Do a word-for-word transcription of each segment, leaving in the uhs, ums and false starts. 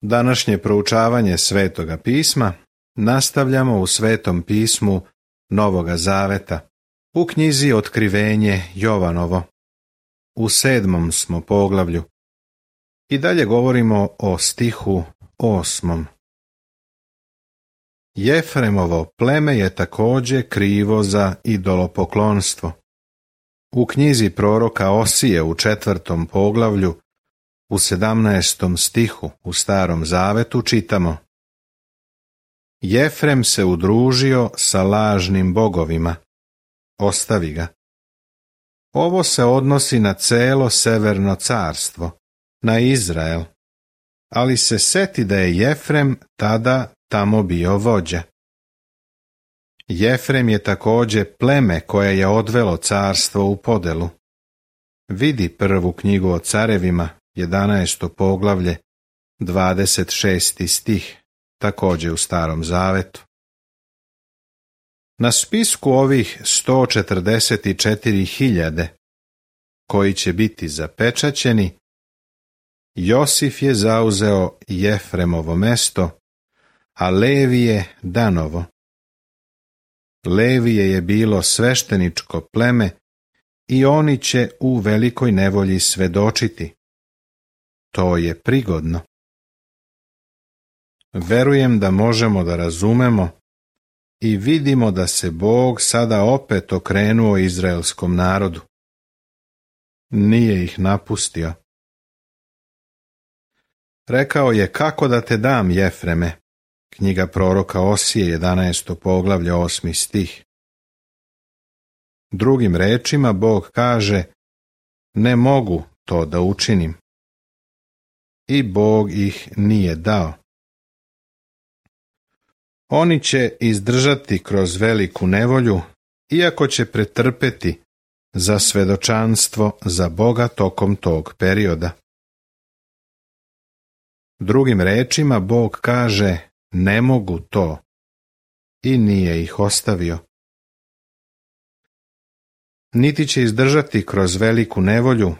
Današnje proučavanje Svetoga pisma nastavljamo u Svetom pismu Novoga Zaveta, u knjizi Otkrivenje Jovanovo. U sedmom smo poglavlju i dalje govorimo o stihu osmom. Jefremovo pleme je također krivo za idolopoklonstvo. U knjizi proroka Osije u četvrtom poglavlju, u sedamnaestom stihu u Starom Zavetu čitamo: Jefrem se udružio sa lažnim bogovima, ostavi ga. Ovo se odnosi na celo severno carstvo, na Izrael, ali se seti da je Jefrem tada tamo bio vođa. Jefrem je također pleme koje je odvelo carstvo u podelu. Vidi prvu knjigu o carevima, jedanaesto poglavlje, dvadeset šesti stih, također u Starom Zavetu. Na spisku ovih sto četrdeset četiri hiljade, koji će biti zapečaćeni, Josif je zauzeo Jefremovo mesto, a Levije Danovo. Levije je bilo svešteničko pleme i oni će u velikoj nevolji svedočiti. To je prigodno. Verujem da možemo da razumemo i vidimo da se Bog sada opet okrenuo izraelskom narodu. Nije ih napustio. Rekao je: kako da te dam, Jefreme? Knjiga proroka Osije, jedanaesto poglavlje, osmi stih. Drugim rečima Bog kaže: ne mogu to da učinim. I Bog ih nije dao. Oni će izdržati kroz veliku nevolju, iako će pretrpeti za svedočanstvo za Boga tokom tog perioda. Drugim rečima Bog kaže: ne mogu to, i nije ih ostavio. Niti će izdržati kroz veliku nevolju,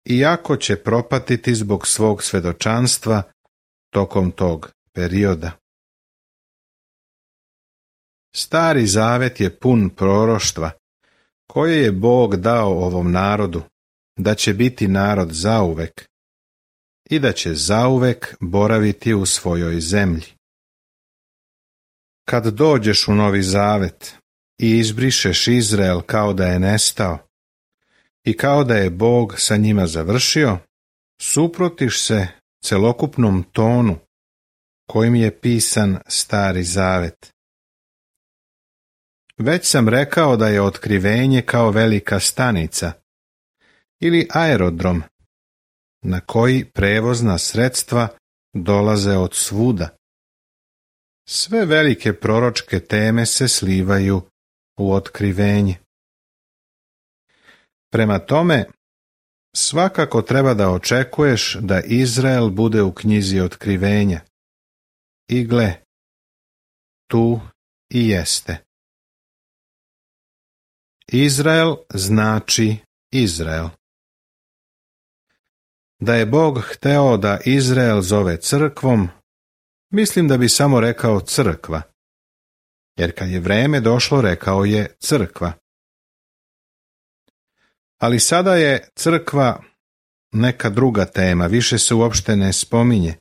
iako će propatiti zbog svog svedočanstva tokom tog perioda. Stari Zavet je pun proroštva koje je Bog dao ovom narodu, da će biti narod zauvek i da će zauvek boraviti u svojoj zemlji. Kad dođeš u Novi Zavet i izbrišeš Izrael kao da je nestao i kao da je Bog sa njima završio, suprotiš se celokupnom tonu kojim je pisan Stari Zavet. Već sam rekao da je otkrivenje kao velika stanica ili aerodrom na koji prevozna sredstva dolaze od svuda. Sve velike proročke teme se slivaju u otkrivenje. Prema tome, svakako treba da očekuješ da Izrael bude u knjizi otkrivenja. I gle, tu i jeste. Izrael znači Izrael. Da je Bog hteo da Izrael zove crkvom, mislim da bi samo rekao crkva, jer kad je vreme došlo rekao je crkva. Ali sada je crkva neka druga tema, više se uopšte ne spominje.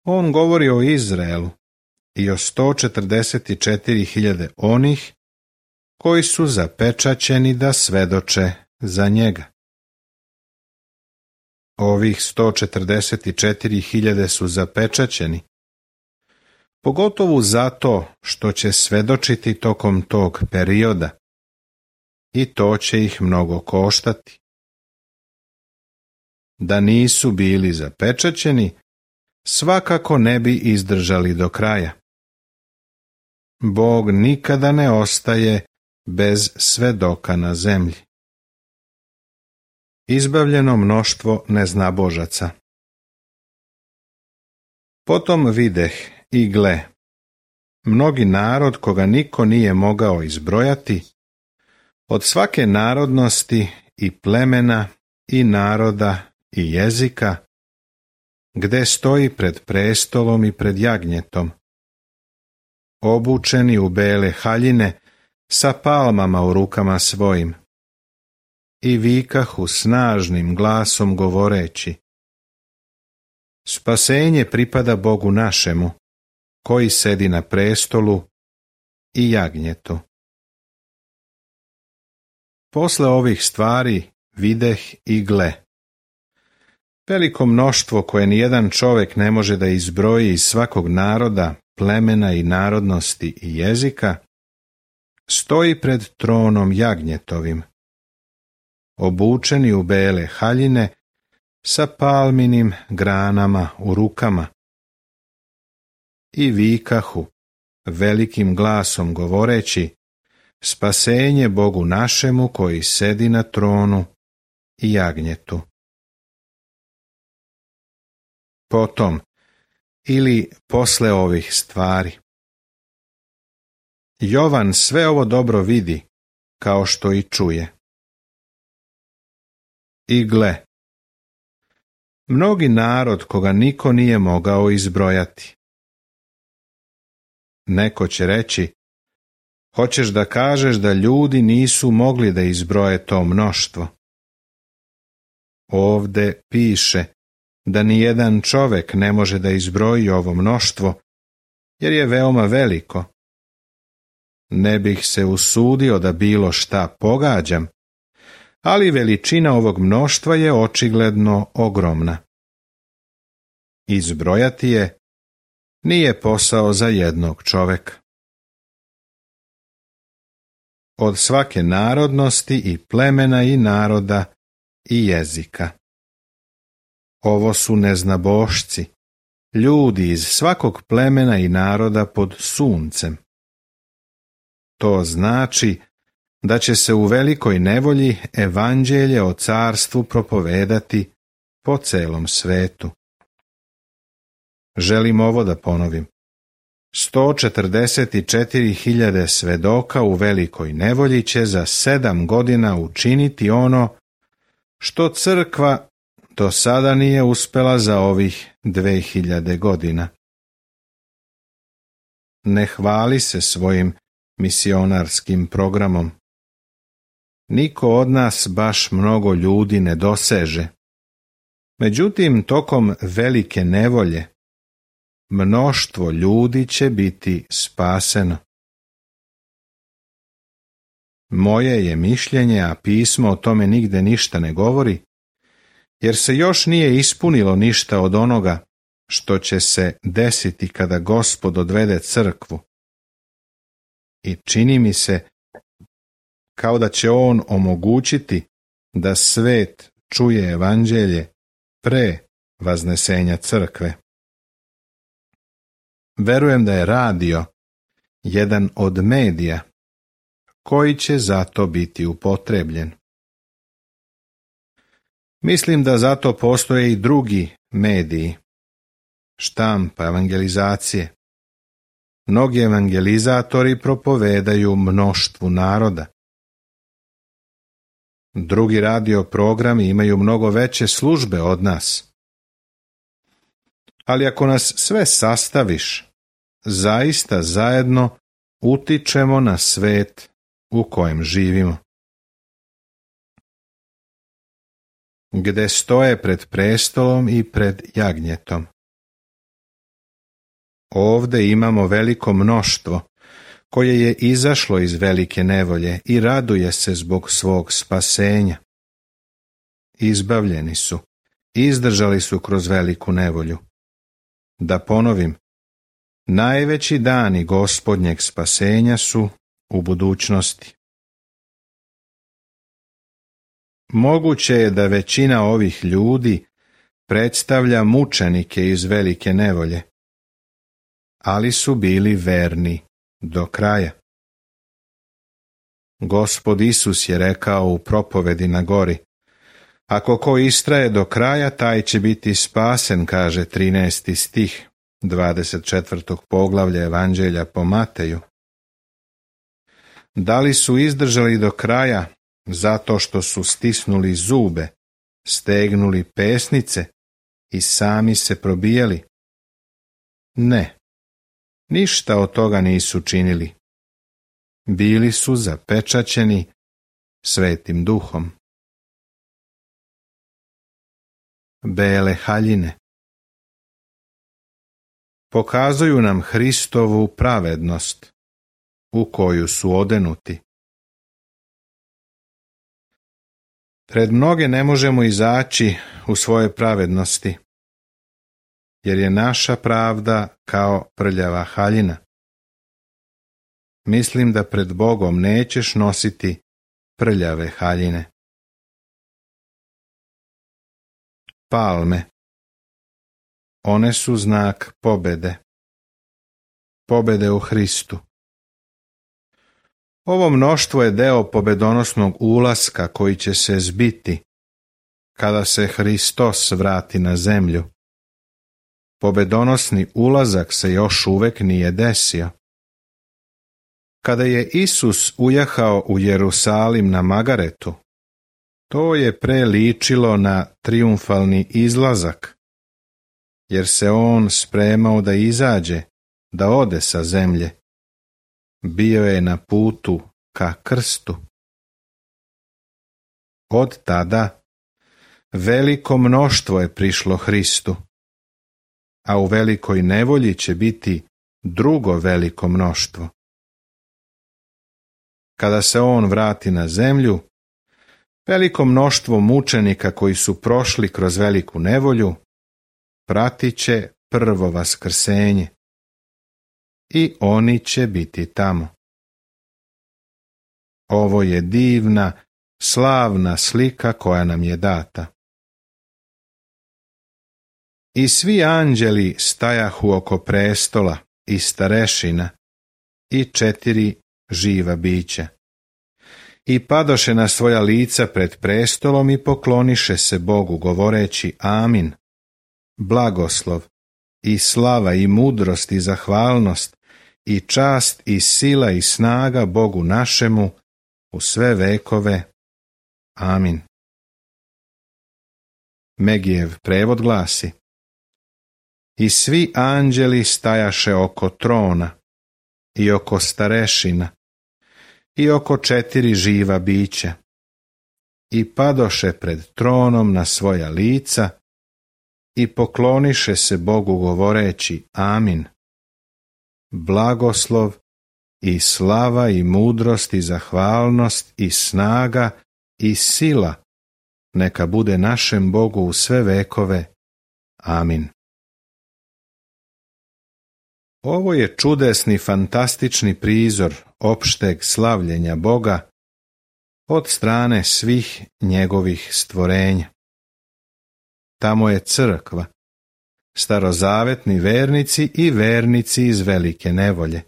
On govori o Izraelu i o sto četrdeset četiri hiljade onih koji su zapečaćeni da svedoče za njega. Ovih sto četrdeset četiri hiljade su zapečaćeni, pogotovo zato što će svedočiti tokom tog perioda, i to će ih mnogo koštati. Da nisu bili zapečaćeni, svakako ne bi izdržali do kraja. Bog nikada ne ostaje bez svedoka na zemlji. Izbavljeno mnoštvo neznabožaca. Potom videh i gle, mnogi narod koga niko nije mogao izbrojati, od svake narodnosti i plemena i naroda i jezika, gde stoji pred prestolom i pred jagnjetom, obučeni u bele haljine sa palmama u rukama svojim, i vikahu snažnim glasom govoreći: Spasenje pripada Bogu našemu, koji sedi na prestolu i jagnjetu. Posle ovih stvari videh i gle, veliko mnoštvo koje nijedan čovjek ne može da izbroji iz svakog naroda, plemena i narodnosti i jezika, stoji pred tronom jagnjetovim, obučeni u bele haljine sa palminim granama u rukama, i vikahu velikim glasom govoreći: Spasenje Bogu našemu koji sedi na tronu i jagnjetu. Potom, ili posle ovih stvari, Jovan sve ovo dobro vidi, kao što i čuje. I gle, mnogi narod koga niko nije mogao izbrojati. Neko će reći: Hoćeš da kažeš da ljudi nisu mogli da izbroje to mnoštvo? Ovde piše da nijedan čovek ne može da izbroji ovo mnoštvo, jer je veoma veliko. Ne bih se usudio da bilo šta pogađam, ali veličina ovog mnoštva je očigledno ogromna. Izbrojati je nije posao za jednog čoveka. Od svake narodnosti i plemena i naroda i jezika. Ovo su neznabošci, ljudi iz svakog plemena i naroda pod suncem. To znači da će se u velikoj nevolji evanđelje o carstvu propovedati po celom svetu. Želim ovo da ponovim. sto četrdeset četiri hiljade svedoka u velikoj nevolji će za sedam godina učiniti ono što crkva do sada nije uspela za ovih dve hiljade godina. Ne hvali se svojim misionarskim programom. Niko od nas baš mnogo ljudi ne doseže. Međutim, tokom velike nevolje, mnoštvo ljudi će biti spaseno. Moje je mišljenje, a pismo o tome nigde ništa ne govori, jer se još nije ispunilo ništa od onoga što će se desiti kada Gospod odvede crkvu. I čini mi se kao da će on omogućiti da svet čuje evanđelje pre vaznesenja crkve. Verujem da je radio jedan od medija koji će zato biti upotrebljen. Mislim da zato postoje i drugi mediji, štampa evangelizacije. Mnogi evangelizatori propovedaju mnoštvu naroda. Drugi radio programi imaju mnogo veće službe od nas. Ali ako nas sve sastaviš, zaista zajedno utičemo na svet u kojem živimo. Gde stoje pred prestolom i pred jagnjetom. Ovde imamo veliko mnoštvo koje je izašlo iz velike nevolje i raduje se zbog svog spasenja. Izbavljeni su, izdržali su kroz veliku nevolju. Da ponovim, najveći dani Gospodnjeg spasenja su u budućnosti. Moguće je da većina ovih ljudi predstavlja mučenike iz velike nevolje, ali su bili verni do kraja. Gospod Isus je rekao u propovedi na gori: Ako ko istraje do kraja, taj će biti spasen, kaže trinaesti stih dvadeset četvrtog poglavlja Evanđelja po Mateju. Da li su izdržali do kraja zato što su stisnuli zube, stegnuli pesnice i sami se probijali? Ne, ništa od toga nisu činili. Bili su zapečaćeni Svetim Duhom. Bele haljine pokazuju nam Hristovu pravednost, u koju su odenuti. Pred mnoge ne možemo izaći u svoje pravednosti, jer je naša pravda kao prljava haljina. Mislim da pred Bogom nećeš nositi prljave haljine. Palme. One su znak pobede. Pobede u Hristu. Ovo mnoštvo je deo pobedonosnog ulaska koji će se zbiti kada se Hristos vrati na zemlju. Pobedonosni ulazak se još uvek nije desio. Kada je Isus ujahao u Jerusalim na magaretu, to je pre ličilo na trijumfalni izlazak, jer se on spremao da izađe, da ode sa zemlje. Bio je na putu ka krstu. Od tada veliko mnoštvo je prišlo Hristu, a u velikoj nevolji će biti drugo veliko mnoštvo. Kada se on vrati na zemlju, veliko mnoštvo mučenika koji su prošli kroz veliku nevolju pratit će prvo vaskrsenje i oni će biti tamo. Ovo je divna, slavna slika koja nam je data. I svi anđeli stajahu oko prestola i starešina i četiri živa bića. I padoše na svoja lica pred prestolom i pokloniše se Bogu govoreći amin. Blagoslov i slava i mudrost i zahvalnost i čast i sila i snaga Bogu našemu u sve vekove. Amin. Megijev prevod glasi: I svi anđeli stajaše oko trona i oko starešina i oko četiri živa bića i padoše pred tronom na svoja lica i pokloniše se Bogu govoreći amin. Blagoslov i slava i mudrost i zahvalnost i snaga i sila neka bude našem Bogu u sve vekove. Amin. Ovo je čudesni, fantastični prizor opšteg slavljenja Boga od strane svih njegovih stvorenja. Tamo je crkva, starozavetni vernici i vernici iz velike nevolje.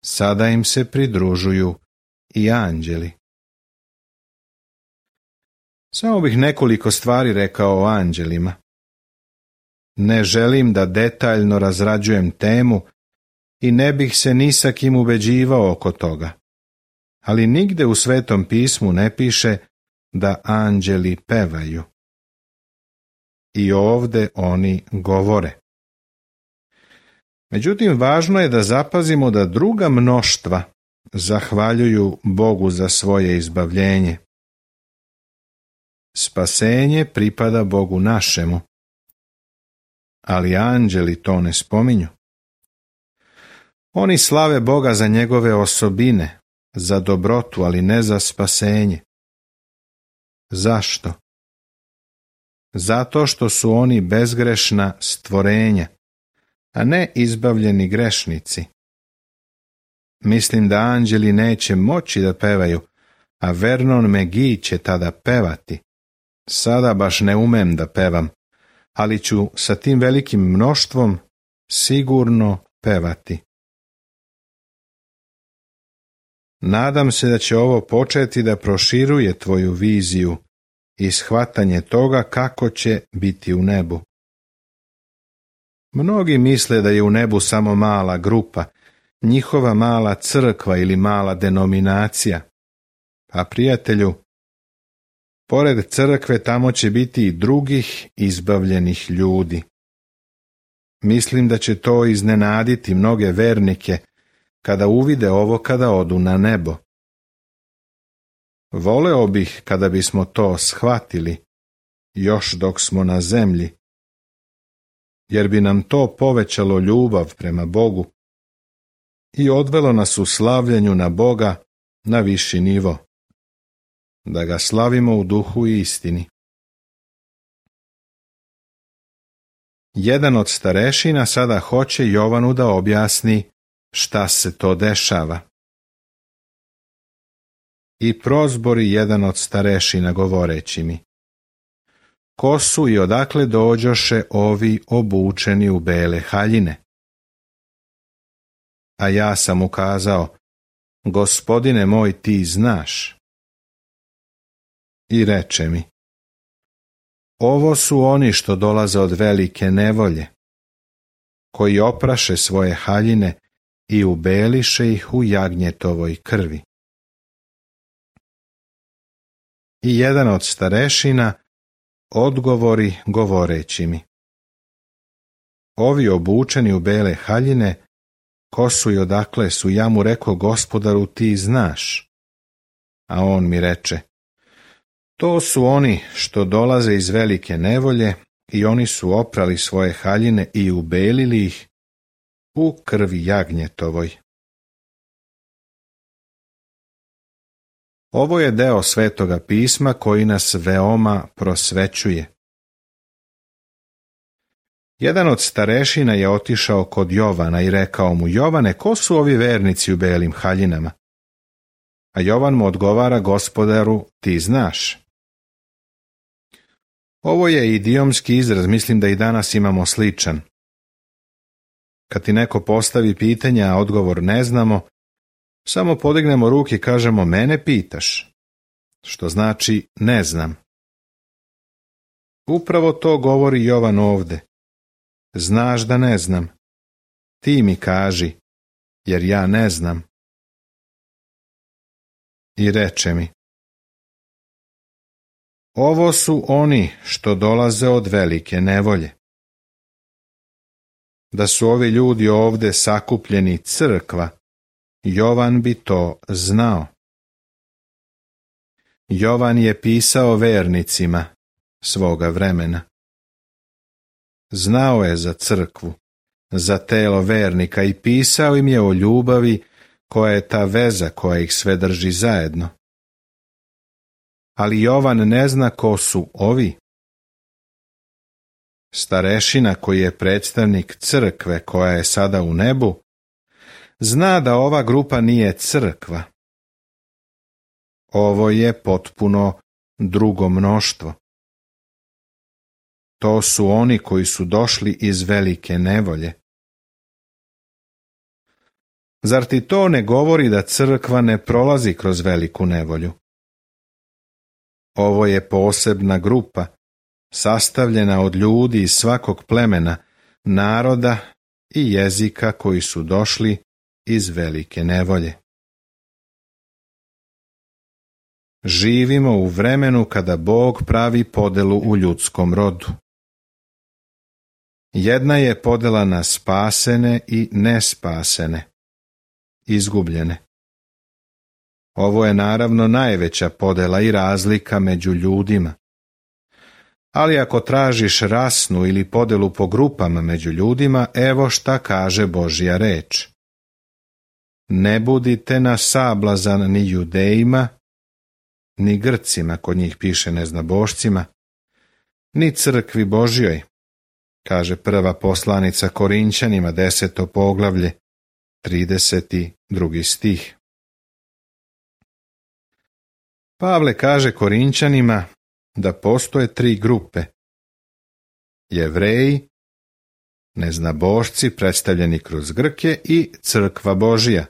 Sada im se pridružuju i anđeli. Samo bih nekoliko stvari rekao o anđelima. Ne želim da detaljno razrađujem temu i ne bih se ni sa kim ubeđivao oko toga. Ali nigde u Svetom pismu ne piše da anđeli pevaju. I ovde oni govore. Međutim, važno je da zapazimo da druga mnoštva zahvaljuju Bogu za svoje izbavljenje. Spasenje pripada Bogu našemu, ali anđeli to ne spominju. Oni slave Boga za njegove osobine, za dobrotu, ali ne za spasenje. Zašto? Zato što su oni bezgrešna stvorenja, a ne izbavljeni grešnici. Mislim da anđeli neće moći da pevaju, a Vernon McGee će tada pevati. Sada baš ne umem da pevam, ali ću sa tim velikim mnoštvom sigurno pevati. Nadam se da će ovo početi da proširuje tvoju viziju i shvatanje toga kako će biti u nebu. Mnogi misle da je u nebu samo mala grupa, njihova mala crkva ili mala denominacija. A prijatelju, Pored crkve tamo će biti i drugih izbavljenih ljudi. Mislim da će to iznenaditi mnoge vernike kada uvide ovo kada odu na nebo. Voleo bih kada bismo to shvatili, još dok smo na zemlji, jer bi nam to povećalo ljubav prema Bogu i odvelo nas u slavljenju na Boga na viši nivo, da ga slavimo u duhu i istini. Jedan od starešina sada hoće Jovanu da objasni šta se to dešava. I prozbori jedan od starešina govoreći mi: ko su i odakle dođoše ovi obučeni u bele haljine? A ja sam ukazao: Gospodine moj, ti znaš. I reče mi: ovo su oni što dolaze od velike nevolje, koji opraše svoje haljine i ubeliše ih u jagnjetovoj krvi. I jedan od starešina odgovori govoreći mi: ovi obučeni u bele haljine, ko su i odakle su? Ja mu reko: Gospodaru, ti znaš. A on mi reče: to su oni što dolaze iz velike nevolje i oni su oprali svoje haljine i ubelili ih u krvi jagnjetovoj. Ovo je deo Svetoga pisma koji nas veoma prosvećuje. Jedan od starešina je otišao kod Jovana i rekao mu: Jovane, ko su ovi vernici u belim haljinama? A Jovan mu odgovara: Gospodaru, ti znaš. Ovo je idiomski izraz, mislim da i danas imamo sličan. Kad ti neko postavi pitanje, a odgovor ne znamo, samo podignemo ruke i kažemo: mene pitaš, što znači ne znam. Upravo to govori Jovan ovde. Znaš da ne znam. Ti mi kaži, jer ja ne znam. I reče mi: ovo su oni što dolaze od velike nevolje. Da su ovi ljudi ovde sakupljeni crkva, Jovan bi to znao. Jovan je pisao vernicima svoga vremena. Znao je za crkvu, za telo vernika i pisao im je o ljubavi koja je ta veza koja ih sve drži zajedno. Ali Jovan ne zna ko su ovi. Starešina, koji je predstavnik crkve koja je sada u nebu, zna da ova grupa nije crkva. Ovo je potpuno drugo mnoštvo. To su oni koji su došli iz velike nevolje. Zar ti to ne govori da crkva ne prolazi kroz veliku nevolju? Ovo je posebna grupa, sastavljena od ljudi iz svakog plemena, naroda i jezika koji su došli iz velike nevolje. Živimo u vremenu kada Bog pravi podelu u ljudskom rodu. Jedna je podela na spasene i nespasene, izgubljene. Ovo je naravno najveća podela i razlika među ljudima. Ali ako tražiš rasnu ili podelu po grupama među ljudima, evo šta kaže Božja reč. Ne budite na sablazan ni Judejima, ni Grcima, kod njih piše neznabošcima, ni crkvi Božjoj, kaže prva poslanica Korinćanima, deseto poglavlje, trideset drugi stih. Pavle kaže Korinćanima da postoje tri grupe: Jevreji, neznabošci predstavljeni kroz Grke i crkva Božja.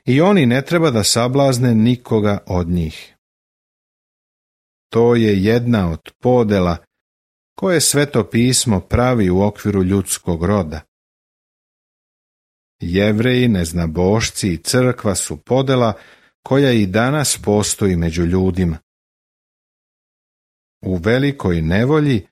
I oni ne treba da sablazne nikoga od njih. To je jedna od podela koje Sveto pismo pravi u okviru ljudskog roda. Jevreji, neznabošci i crkva su podela koja i danas postoji među ljudima. u velikoj nevolji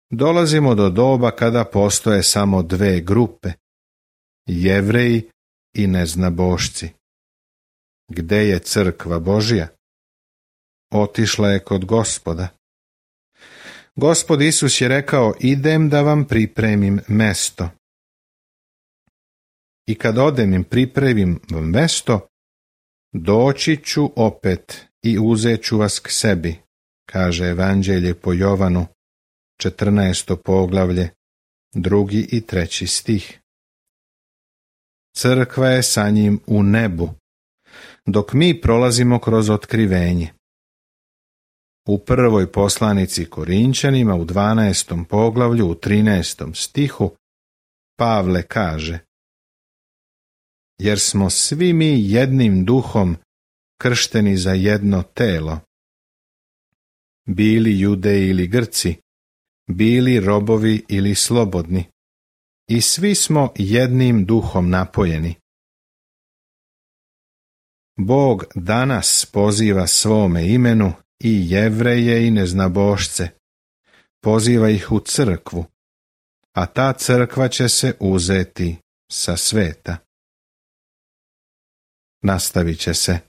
dolazimo do doba kada postoje samo dve grupe, Jevreji i neznabošci. Gde je crkva Božja? Otišla je kod Gospoda. Gospod Isus je rekao, idem da vam pripremim mesto. I kad odem im pripremim vam mesto, doći ću opet i uzet ću vas k sebi, kaže Evanđelje po Jovanu, četrnaesto poglavlje, drugi i treći stih. Crkva je sa njim u nebu, dok mi prolazimo kroz otkrivenje. U prvoj poslanici Korinćanima u dvanaestom poglavlju u trinaestom stihu Pavle kaže: jer smo svi mi jednim duhom kršteni za jedno telo, bili Judeji ili Grci, bili robovi ili slobodni, i svi smo jednim duhom napojeni. Bog danas poziva svome imenu i Jevreje i neznabošce, poziva ih u crkvu, a ta crkva će se uzeti sa sveta. Nastavit će se.